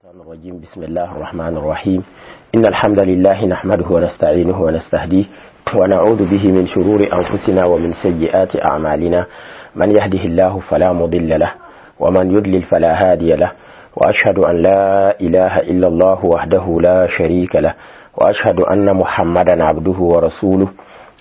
الرجيم. بسم الله الرحمن الرحيم. إن الحمد لله نحمده ونستعينه ونستهديه ونعوذ به من شرور أنفسنا ومن سيئات أعمالنا. من يهده الله فلا مضل له ومن يضلل فلا هادي له، وأشهد أن لا إله إلا الله وحده لا شريك له، وأشهد أن محمدا عبده ورسوله.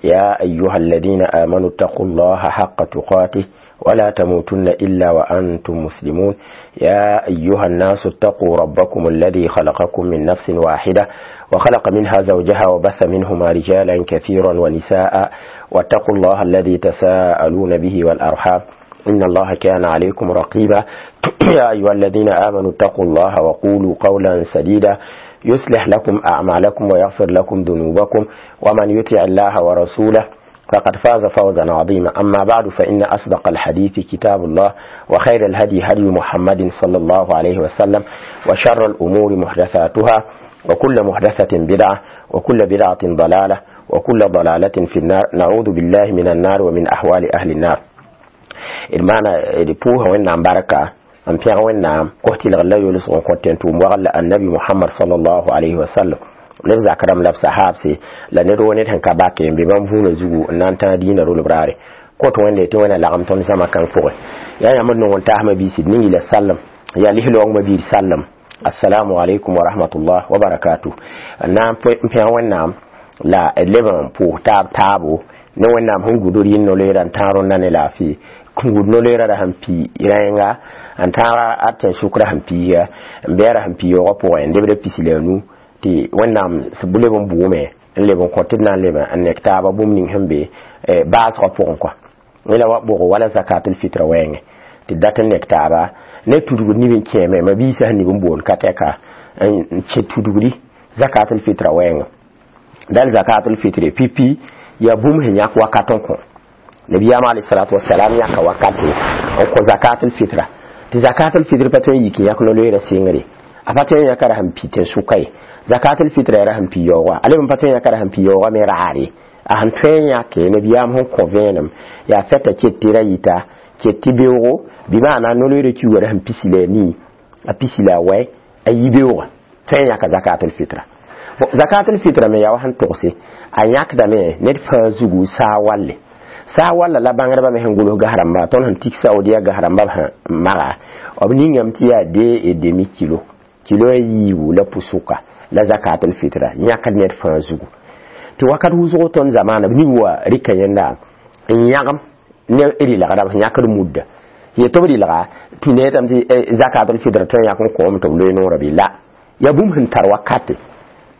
يا أيها الذين آمنوا اتقوا الله حق تقاته ولا تموتن إلا وأنتم مسلمون. يا أيها الناس اتقوا ربكم الذي خلقكم من نفس واحدة وخلق منها زوجها وبث منهما رجالا كثيرا ونساء، واتقوا الله الذي تساءلون به والأرحام إن الله كان عليكم رقيبا. يا أيها الذين آمنوا اتقوا الله وقولوا قولا سديدا يصلح لكم أعمالكم ويغفر لكم ذنوبكم، ومن يطع الله ورسوله فقد فاز فوزا عظيما. أما بعد، فإن أصدق الحديث كتاب الله، وخير الهدي هدي محمد صلى الله عليه وسلم، وشر الأمور محدثاتها، وكل محدثة بدعة، وكل بدعة ضلالة، وكل ضلالة في النار. نعوذ بالله من النار ومن أحوال أهل النار. المعنى بوها وين بركة أم بيان وين كهتي لغلا يولس ونكونتين النبي محمد صلى الله عليه وسلم neb zak rãmb la b sahaabse la ned woo ned sẽn ka bake n be bãmb vũunã zugu n na n tãag dĩinã rolb raare kõt wẽnde tɩ wẽna lagem tõnd zãma kãng pʋgẽ. Yaa yãmb n nong n taasmã biisi d ning la sallem yaa lis-loong biir sallem. Assalamu alaikum wa rahmatullah wa barakatuh. N na n pẽg Wẽnnaam la d leb n pʋʋs taab taabo ne Wẽnnaam sẽn gud rɩɩn no-loeera n tãag rõnda ne laafɩ n gud no-loeera ra sẽn pi rẽenga n tãaga a tẽn-sʋkrã sẽn piiga n bɛɛra sẽn pi yaoogã pʋgẽ n lebda 15 tɩ Wẽnnaam leb n bʋʋme n leb n kõ tɩ d na n leb n nek taaba bũmb ning sẽn be baasgã pʋgẽ kɔa la wa bʋgo wala zakatul fitra wɛɛngẽ tɩ dat n nek taaba ne tudgd nib n kẽeme ma biisã sẽn nib n boond ka tɛka n kẽ tudgdi zakatul fitra wɛɛngẽ. Dal zakatul fitre pipi yaa bũmb sẽn yãk wakat n kõ nabiyaam alayhi wasalam yãka wakate n kõ zakatul fitra tɩ zakatul fitr pa tõe n yik n yãk no-loeera sɩngre a pa tõe n yãka ra sẽn pi tẽn-sʋka ye. Zakatul fitra ra sẽn pi yaooga a leb n pa tõe n yãka ra sẽn pi yaooga me raare a sẽn tõe n yãke nabiyaam sẽn kõ vẽenem yaa fɛta ket tɩ ra yita ket tɩ beoogo bɩ maana no-loeera kiuga ra sẽn pisi la a nii a pisi la a wɛ a yi beooga tõe n yãka zakatul fitra. Bon, zakatul fitra me yaa wa sẽn togse a yãkdame ned fãa zugu saa walle saa walla la bãngdbã me sẽn gʋls gas rãmba tõnd sẽn tik Saudiya gas rãmba b sẽn maga b ningame tɩ yaa deux et demi kilo kilo a yiibu la pusuka la zakatul fitra yãkd ned fãa zugu tɩ wakat wʋsgo tõnd zamaana b ning wa rɩka yẽnda n yãgem ne rɩlgrã b sẽn yãkd mudda yetɩ b rɩlga tɩ neetame tɩ zakatul fitra tõe n yãk n kõom tɩ b loe noorã bɩ la yaa bũmb sẽn tar wakate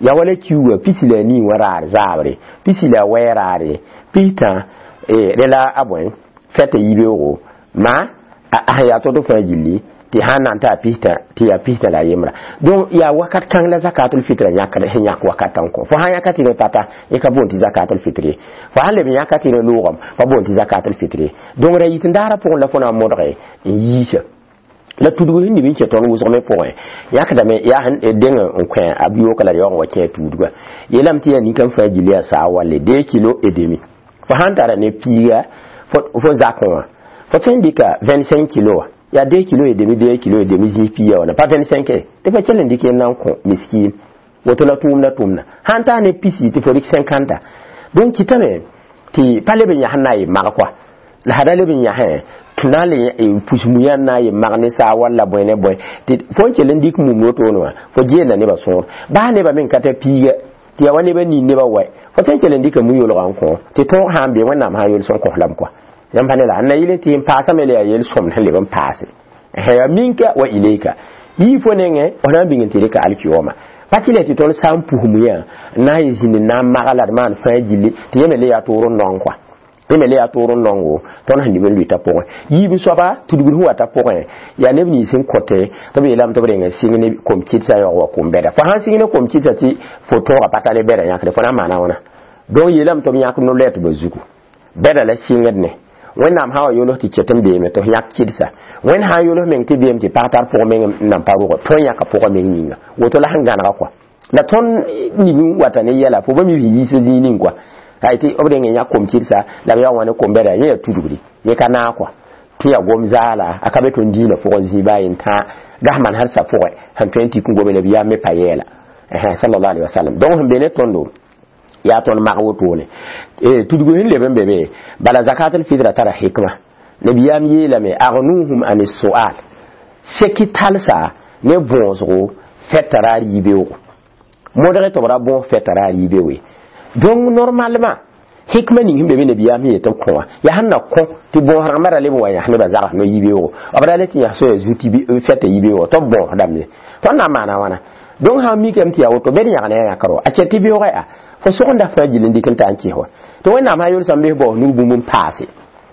yaa wala kiuga pisi la a nii wã raar zaabre pisi la a wɛɛ raare pistã rẽ la a bõe fɛta yibeoogo ma a sẽn yaa to-to fãa gilli tɩ sãn na n ta pistã tɩ yaa pistã la a yembra. Donc yaa wakat kãng la zakatul fitra yãkd sẽn yãk wakat n kõ fo sãn yãka tɩ rẽ pata yẽ ka boond tɩ zakatul fitr ye fo sãn leb n yãka tɩ rẽ loogame pa boond tɩ zakatul fitr ye. Donc ra yit n daara pʋgẽ la fo na n modge n yiisa la tudg sẽn nib n kẽ tõnd wʋsg me pʋgẽ yãkdame yaa sẽn deng n kõ a bi-yooka la d yaoog n wa kẽ a tuudga yeelame tɩ yaa ninkam fãa gilli yaa saa walle deux kilo et demi fo sãn tara ne piiga fo zakẽ wã fo tõe n dɩka 25 kilo wã yaa 2 kilo et demi 2 kilo et demi zĩig piiga wã pa 25 tɩ fo kell n dɩk yẽnd na n kõ miskiin woto la tʋʋmda tʋmda sãn taa ne pisi tɩ fo dɩk 50. Donc kɩtame tɩ pa leb n yãs n na n yɩ mag kɔa la sã da leb n yãsẽ na n le pus muyã n na n yɩ mag ne saa walla bõe ne bõe tɩ fo n kell n dɩk mum wotone wã fo geelda nebã sõor baa nebã me n ka tar piiga tɩ yaa wa nebã nin nebã wɛ fo tõe n kell n dɩka mu-yolgã n kõ tɩ tõog sã n be Wẽnnaam sã n yols n kos lame kɔa yãmb pa ne la n na yɩl tɩ n paasame la yaa yel-sõmd sẽn leb n paase yaa minka wa ilayka yii fo nengẽ f na n bĩng n tɩ rɩka alkiyoma pa tɩ la tɩ tõnd sã n pus muyã n na n yɩ zĩnd n na n maga la d maan fãa gilli tɩ yẽ me le yaa toor n naong kɔa yẽ me le yaa toor n naongo tõnd sẽn nib n lʋɩta pʋgẽ yiib soaba tudgd sẽn wata pʋgẽ yaa neb nins n kõte tɩ b yeelame tɩ b reng n sɩng ne kom-kɩdsa yaoog wa kom-bɛda fo sãn sɩng ne kom-kɩdsa tɩ fo tõoga pa tar ne bɛda yãkde fo na n maana wãna. Donc yeelame tɩ b yãk no-loɛtbã zugu bɛda la sɩngd ne Wẽnnaam sã wa yols tɩ ket n beeme tɩ f yãk kɩdsa Wẽnd sã n yols meng tɩ beem tɩ pag tar pʋg meng n nan pa rʋgã tõe n yãka pʋgã meng yĩnga woto la sẽn gãnega kɔa la tõnd nib n wata ne yɛla fo ba mi yiisa zĩig ning kɔa ay tɩ b reng n yãk kom-kɩdsa la b yaoog wã ne kom-bɛda yẽ yaa tudgdi yẽ ka naag kɔa Tɩ yaa gom zaala a ka be tõnd dĩinã pʋgẽ zĩiba a yen tã gasman har sa pʋgẽ sẽn tõe n tɩk n gome nabiyaam me pa yɛɛla sallallahu alaihi wasallam. Donc sẽn be ne tõndo yaa tõnd mag wotone tudgu sẽn leb n be be bala zakatul fitra tara hikma. Nabiyaam yeelame agnuhum an sual seki talsa ne bõosgo fɛta ra yibeoogo modge tɩ b ra bõos fɛta ra yibeooe. Donc normalement hikma ning sẽn be be nabiyaam sẽn yet b kõ wã yaa sẽn na kõ tɩ bõos rãmbã ra leb n wa yãs nebã zags no yibeoogo b ra le tɩ yãs soya zu tɩ fɛta yibeoogo tɩ b bõosdame ye tõnd na n maana wãna. Donc sã n mikame tɩ yaa woto bed yãgna ya yãkr wa a kɛt tɩ beoogã yaa fo sogenda fãa gill n dɩk n ta n kɩs wa tɩ Wẽnnaam sã yolsã n bes baoos nug bũmb n paase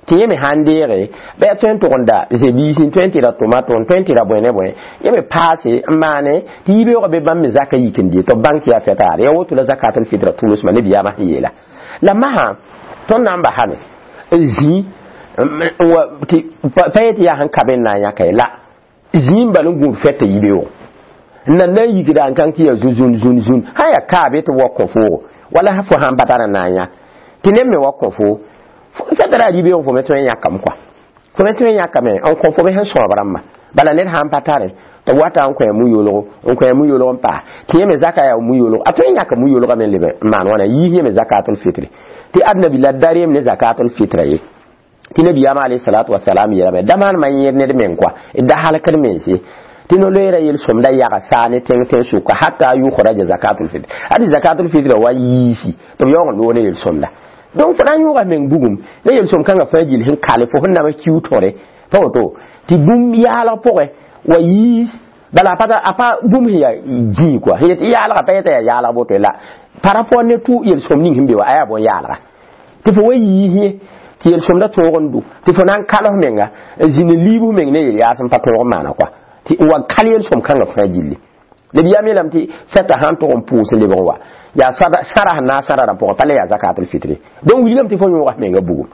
tɩ yẽ me sãn deege bɩ yaa tõe n tʋgenda zebiis n tõe n tɩ ra tomato n tõe n tɩ ra bõe ne bõe yẽ me paase n maane tɩ yibeoogã be bãmb me zaka yik n dɩ tɩ b bãng tɩ yaa fɛtaare yaa woto la zakatul fitra tʋlsmã nabiyaamã sẽn yeela la masã tõnd na n basame n zĩ tɩ pa yetɩ yaa sẽn ka be n na n yãka ye la zĩ n bal n gũud fɛta yibeoogo n na n yikda n kãng tɩ yaa zu-zũn zũn zũn sã yaa kaabe tɩ b wa kõ foogo wala fo sãn pa tar n na n yãk tɩ neb me wa kõ foo fɛta ra yibeoog fo me tõe n yãkame kɔa fo me tõe n yãkame n kõ fo me sẽn sõab rãmbã bala ned sãn pa tare tɩ b wata n kõ mu-yoolgo n kõ mu-yoolg n paa tɩ yẽ me zaka yaa mu-yoolgo a tõe n yãka mu-yoolgã me leb n maan wãna yiis yẽ me zakatul fitri tɩ adnabi la da reem ne zakatul fitra ye tɩ nabiyaamã alayhi salatu wasalam yeelame da maan ma yẽed ned meng kɔa da halkd mense tɩ no-loeera yel-sõmda yaga saa ne tẽng tẽn sʋka hata yukhraja zakatul fitr adi zakatul fitra wa yiisi tɩ b yaoog n loog ne yel-sõmda. Donc fo na n yõoga meng bugum ne yel-sõm kãngã fãa gill sẽn kale fo sẽn nama kiu tõre pa woto tɩ bũmb yaalg pʋgẽ wa yiis bala a pa bũmb sẽn yaa dĩig kɔa sẽn yet yaalga pa yeta yaa yaalg boto la par rapport ne tʋ yel-sõm ning sẽn be wa a yaa bõn-yaalga tɩ fo wa yiis yẽ tɩ yel-sõmda tõog n dʋ tɩ fo na n kals menga n zĩnd n liib f meng ne yel-yaas n pa tõog n maana kɔa tɩ n wa kal yel-sõm kãngã fãa gilli nabiyaam yeelame tɩ fɛta sãn tʋg n pʋʋs n lebg n wa yaa sãra sẽn na n sãra rãmb pʋgẽ pa le yaa zakatul fitri. Donc wilgame tɩ fo yõoga f menga bugum.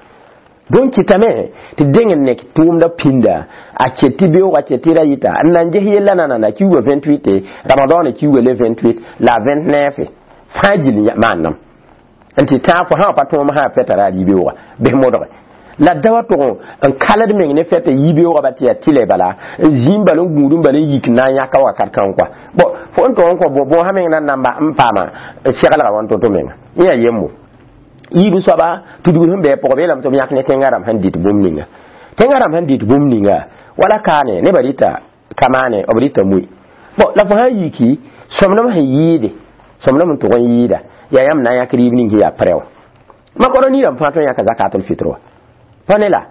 Donc kɩtame tɩ deng n nek tʋʋmda pĩnda a ket tɩ beoog a ket tɩ ra yɩta n na n ges yella nanana kiuga 28 ramadan kiuga le 28 la 29 fãa gill maannam n tɩ tãag fo sã wa pa tõom sã fɛta ra yibeoogã bes modge la da wa tʋg n kald meng ne fɛta yibeoogã ba tɩ yaa tɩlɛ bala n zĩim bal n gũud n bal n yik n na n yãka wakat kãng kɔa bon fo n tʋg n kõ bõosã meng na n namba n paama seglga wãn to-to menga yẽ yaa yembo yiib soaba tudgr sẽn bɩ pʋgã beelame tɩ b yãk ne tẽngã rãmb sẽn dɩt bũmb ninga tẽngã rãmb sẽn dɩt bũmb ninga wala kaane nebã rɩta kamaane b rɩta mui bon la fo sã n yiki sõmdem sẽn yɩɩde sõmdem n tʋg n yɩɩda yaa yãmb na n yãk rɩɩb ning sẽn yaa prɛ wã makoro niirãmb fãa tõe n yãka zakatul fitr wã pa ne la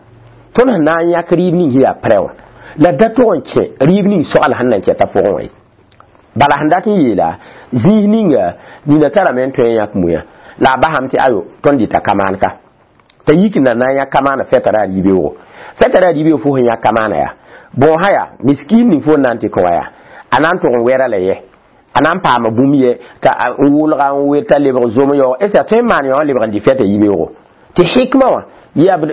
tõnd sẽn na n yãk rɩɩb ning sẽn yaa prɛ wã la da tʋg n kẽ rɩɩb ning soal sẽn na n kɛta pʋgẽ wã ye bala sẽn dat n yeela zĩis ninga nina tarame n tõe n yãk muya la a basame tɩ ayo tõnd dɩta kamaan ka t'a yik n na n yãk kamaana fɛta ra yibeoogo fɛta ra yibeoog fo sẽn yãk kamaana yaa bõosã yaa miskin ning fo n na n tɩ kõ wã yaa a na n tʋg n wɛra la yɛ a na n paama bũmb yɛ t'a n wʋlga n wer t'a lebg zom yaoog est ce a tõe n maan yaoog n lebg n dɩ fɛta yibeoogo tɩ hikma wã yaa b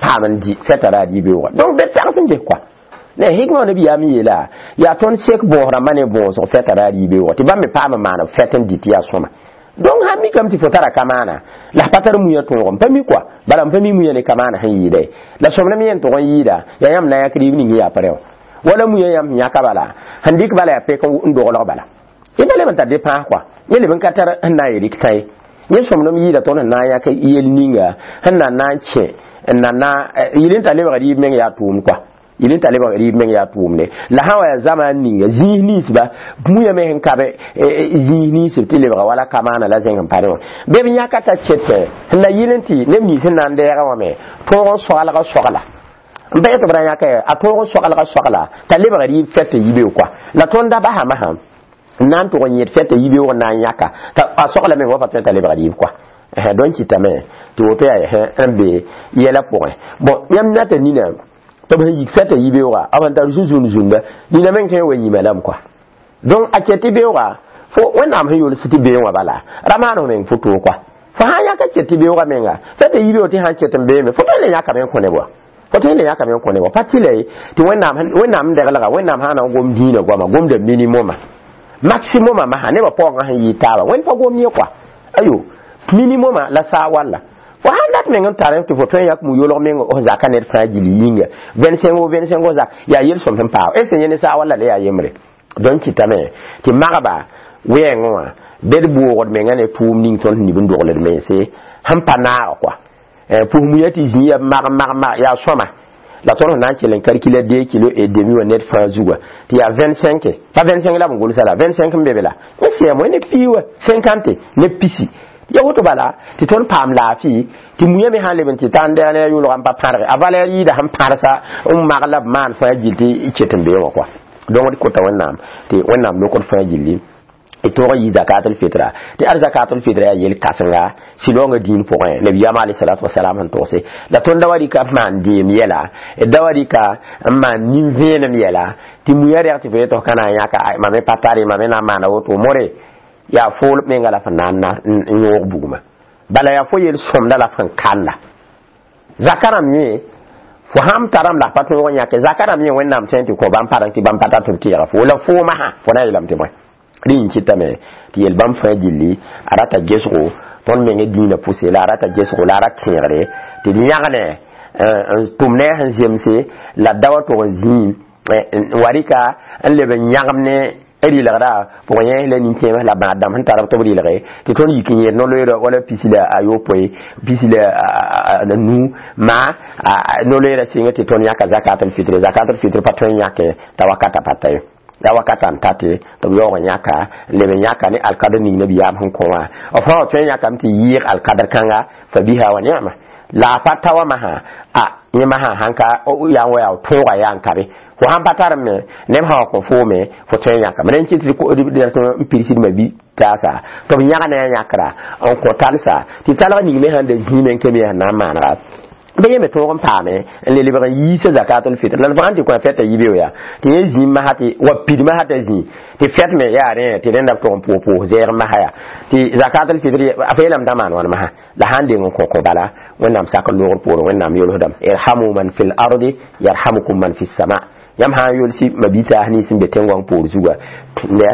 paam n dɩ fɛta ra yibeoogã donc bed tags n ges kɔa ne hikma wã nabiyaam yeela yaa tõnd sek bõos rãmbã ne bõosg fɛta ra yibeoogã tɩ bãmb me paam n maan fɛt n dɩ tɩ yaa sõma. Donc sã mikame tɩ fo tara kamaana la pa tar muya tõog n pa mi kɔa bala n pa mi muya ne kamaana sẽn yɩɩda ye la sõmdem yẽn tʋg n yɩɩda yaa yãmb na n yãk rɩɩb ning yaa prɛ wã wala muya yãmb sẽn yãka bala sẽn dɩk bala yaa pek n doglg bala yẽ pa leb n tar dɩ pãas kɔa yẽ leb n ka tar sẽn na n yel tã ye yẽ sõmdem yɩɩda tõnd sẽn na n yãk yel ninga sẽn na n kẽ n na na yɩl n ta lebg rɩɩb meng yaa tʋʋm kɔa yɩl n ta lebg rɩɩb meng yaa tʋʋmde la sã wa yaa zamaan ninga zĩis ninsba muya me sẽn ka be zĩis ninsb tɩ lebga wala kamaana la zẽng n pa wã bɩ b yãka t'a ket sẽn na yɩl n tɩ neb nins sẽn na n dɛɛgã wã me tõog n soalga sogla n pa yet b ra yãka a tõog n soalga sogla t'a lebg rɩɩb fɛta yibeoog kɔa la tõnd da basame sã n na n tʋg n yẽd fɛta yibeoog n na n yãka t'a a sogla meng wa pa tõe t'a lebg rɩɩb kɔa donc kɩtame tɩ woto yaa n be yɛla pʋgẽ bon yãmb nata nina tɩ b sẽn yik fɛta yibeoogã b sẽn tar zu-zũnd zũnda nina meng tõe n wa yĩma lame kɔa donc a ket tɩ beoogã fo Wẽnnaam sẽn yols tɩ beẽ wã bala ra maan f meng fo-toog kɔa fo sã n yãka ket tɩ beoogã menga fɛta yibeoog tɩ sã n ket n beeme fo tõe n le yãkame n kõ neb wa fo tõe n le yãkame n kõ neb wa pa tɩ la ye tɩ Wẽnnaam n deglga Wẽnnaam sã na n gom dĩinã goama gomda minimuma maximuma masã nebã paoongã sẽn yɩɩ taaba Wẽnd pa gom yẽ kɔa ayo minimuma la saa walla Fo sãn dat meng n tar tɩ fo tõe n yak mu-yolg meng f zaka ned fãa gill yĩnga 25 o 25 o zak yaa yel-sõm sẽn paao est ce yẽ ne saag walla la yaa yembre donc kɩtame tɩ magba wɛɛngẽ wã bed boogd menga ne tʋʋm ning tõnd nib n dogld mense sẽn pa naag kɔa pʋs muya tɩ zĩ ya mag mag mag yaa sõma la tõnd sẽn na n kell n calcula 2 kilo et demi wã ned fãa zuga tɩ yaa 25 pa 25 la b gʋlsa la 25 n be be la yẽ sɛɛm ne pii wa 50 ne pisi ya woto bala tɩ tõnd paam laafɩ tɩ muya me sãn leb n tɩ ta n dɛg ne a yʋlga n pa pãrge a valɛr yɩɩda sẽn pãrsa n mag la b maan fãa gill tɩ ket n bee wã kɔa donc d kota wẽnnaam tɩ wẽnnaam lokd fãa gilli d tõog n yɩ zakatul fitra tɩ ad zakatul fitra yaa yel kãsenga sɩlaoongã dĩin pʋgẽ nabiyaamã alayhi wasalam sẽn togse la tõnd da wa rɩka b maan deem yɛla d da wa rɩka n maan nin-vẽenem yɛla tɩ muya rɛg tɩ fo yetɩ f ka na n yãka mam me pa tare mam me na n maana woto more yaa fool menga la f na n yõog bugmã bala yaa fo yel sõmda la f sẽn kalla zaka rãmb yẽ fo sãn tarame la f pa tõog n yãke zaka rãmb yẽ wẽnnaam tõe tɩ kõ bãmb pareng tɩ bãmb pa tar tɩ b tɩɩga fo la foomã sã fo na n yeelame tɩ bõe rẽ n kɩtame tɩ yel bãmb fãa gilli a rata gesgo tõnd meng dĩinã pʋse la a rata gesgo la a ra tẽegre tɩ d yãgne n tʋm ne a sẽn zemse la d da wa tog n zĩim n wa rɩka n leb n yãgem ne rɩlgda pʋgẽ yẽs la nin-kẽems la bãad dãmb sẽn tar b tɩ b rɩlge tɩ tõnd yik n yẽed no-loeerã wala pisi la a yopoe pisi la nu maa no-loeerã sɩngẽ tɩ tõnd yãka zakatul fitre zakatul fitre pa tõe n yãke t'a wakata pa ta ye la wakata n tate tɩ b yaoog n yãka n leb n yãka ne alkadr ning nabiyaam sẽn kõ wã f sã wa tõe n yãkame tɩ yɩɩg alkadr kãnga fa biha wa ni'ma la a pa ta wa masã a yẽ masã sãn ka yaa n wa yaa tõoga yaa n ka be fo sãn pa tar me neb sã wa kõ foome fo tõe n yãkame rẽn kɩt tɩ n pirsdmã bi taasa tɩ b yãgna a yãkra n kõ talsa tɩ talg ning me sãn da zĩime n kame sẽn na n maanega bɩ yẽ me tõog n paame n le lebg n yiisa zakatul fitr la fãa tɩ kõ a fɛta yibeoog yaa tɩ yẽ zĩim masã tɩ wa pid masã t'a zĩ tɩ fɛt me yaa rẽ tɩ rẽnda b tʋg n pʋʋs zɛɛg masã yaa tɩ zakatul fitr a fa yeelame t'a maan wãn masã la sãn deng n kõ kõ bala wẽnnaam sak n loogr poorẽ wẽnnaam yolsdame irhamu man fil ardi yarhamukum man fi sama yãmb sã n yolsi mabitaas nins n be tẽn-goang poor zuga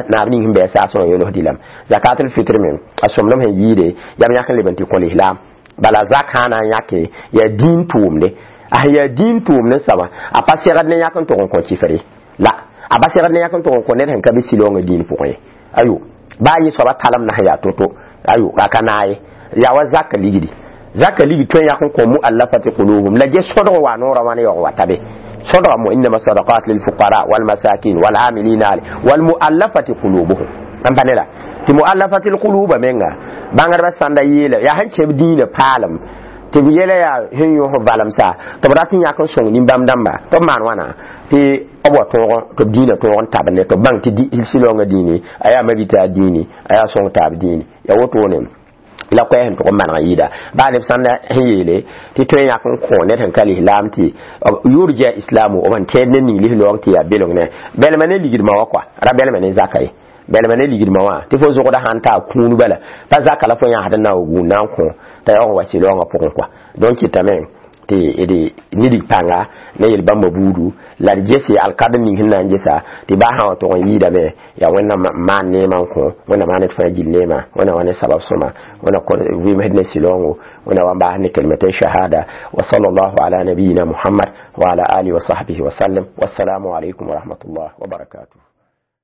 naab ning sẽn bɩ a saasẽ wã yolsd lame zakatul fitr me a sõmdem sẽn yɩɩde yam yãk n leb n tɩ kõ lislaam bala zak sã na n yãke yaa dĩin tʋʋmde a sẽn yaa dĩin tʋʋmd n soaba a pa segd ne yãk n tʋg n kõ kifre la a pa segd ne yãk n tʋg n kõ ned sẽn ka be silaoongã dĩin pʋgẽ ye ayo baa yẽ soaba talem na sẽn yaa to-to ayo a ka naag ye yaa wa zaka ligdi zaka ligd tõe n yãk n kõ muallafati qulubuhum la ges sõdg wa noorã wãn yaoog wa ta be sõdga mo innama sadaqat lilfuqara walmasakin walamilina ale walmuallafati qulubuhum n pa ne la tɩ muallafati lquluba menga bãngdbã sãnda yeela yaa sẽn kẽb dĩinã paalem tɩ b yɛla yaa sẽn yõs valemsa tɩ b rat n yãk n sõng nin-bãmb dãmba tɩ b maan wãna tɩ b wa tõog tɩ b dĩinã tõog n tabende tɩ b bãng tɩ silaoongã dĩini a yaa mabitaar dĩini a yaa sõng taab dĩini yaa wotone la koɛɛ sẽn tʋg n maneg n yɩɩda baa neb sãn sẽn yeele tɩ tõe n yãk n kõ ned sẽn ka lislaam tɩ yurja islamu b sẽn tẽed ne ning lislaoong tɩ yaa beleng ne bɛlma ne ligdmã wã kɔa ra bɛlma ne zaka ye bɛlma ne ligdmã wã tɩ fo zogda sãn taa kũun bala pa zaka la fo yãsd n na n gũud na n kõ t'a yaoog n wa silaoongã pʋgẽ kɔa donc kɩtame tɩ d nidig pãnga ne yel bãmba buudu la d gese alkadr ning sẽn na n gesa tɩ baa sã wa tʋg n yɩɩdame yaa wẽnnaam maan neemã n kõ wẽnnaam maan d fãa gill neemã wẽnnaam wa ne sabab sõma wẽnna vɩɩmsd ne silaoongo wẽnnaam wa n baas ne kalmatay shahada wa sallallahu ala nabiyina muhammad wa ala alihi wa sahbihi wa sallam wassalamu alaykum wa rahmatullah wa barakatuh.